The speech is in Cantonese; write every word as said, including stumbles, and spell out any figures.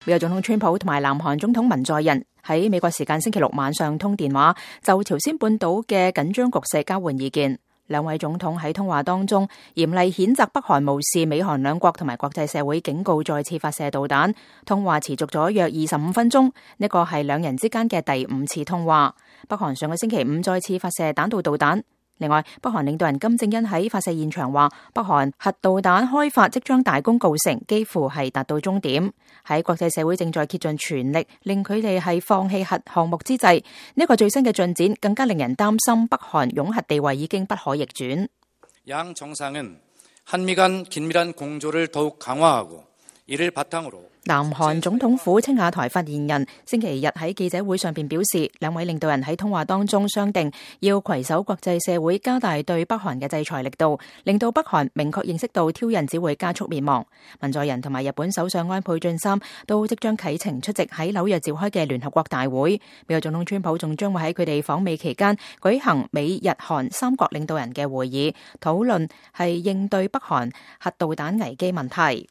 美國總統川普同埋南韓總統文在寅喺美國時間星期六晚上通電話，就朝鮮半島嘅緊張局勢交換意見。兩位總統喺通話當中嚴厲譴責北韓無視美韓兩國同埋國際社會警告，再次發射導彈。通話持續咗約二十五分鐘，呢個係兩人之間嘅第五次通話。北韓上個星期五再次發射彈道導彈。另外，北韓領導人金正恩喺發射現場話，北韓核導彈開發即將大功告成，幾乎係達到終點。喺國際社會正在竭盡全力令佢哋係放棄核項目之際，呢一個最新嘅進展更加令人擔心，北韓擁核地位已經不可逆轉。양 정상은 한미 간 긴밀한 공조를 더욱 강화하고 이를 바탕으로南韓總統府青瓦台發言人星期日喺記者會上邊表示，兩位領導人喺通話當中商定要攜手國際社會加大對北韓嘅制裁力度，令到北韓明確認識到挑釁只會加速滅亡。文在寅同埋日本首相安倍晉三都即將啟程出席喺紐約召開嘅聯合國大會。美國總統川普仲將會喺佢哋訪美期間舉行美日韓三國領導人嘅會議，討論係應對北韓核導彈危機問題。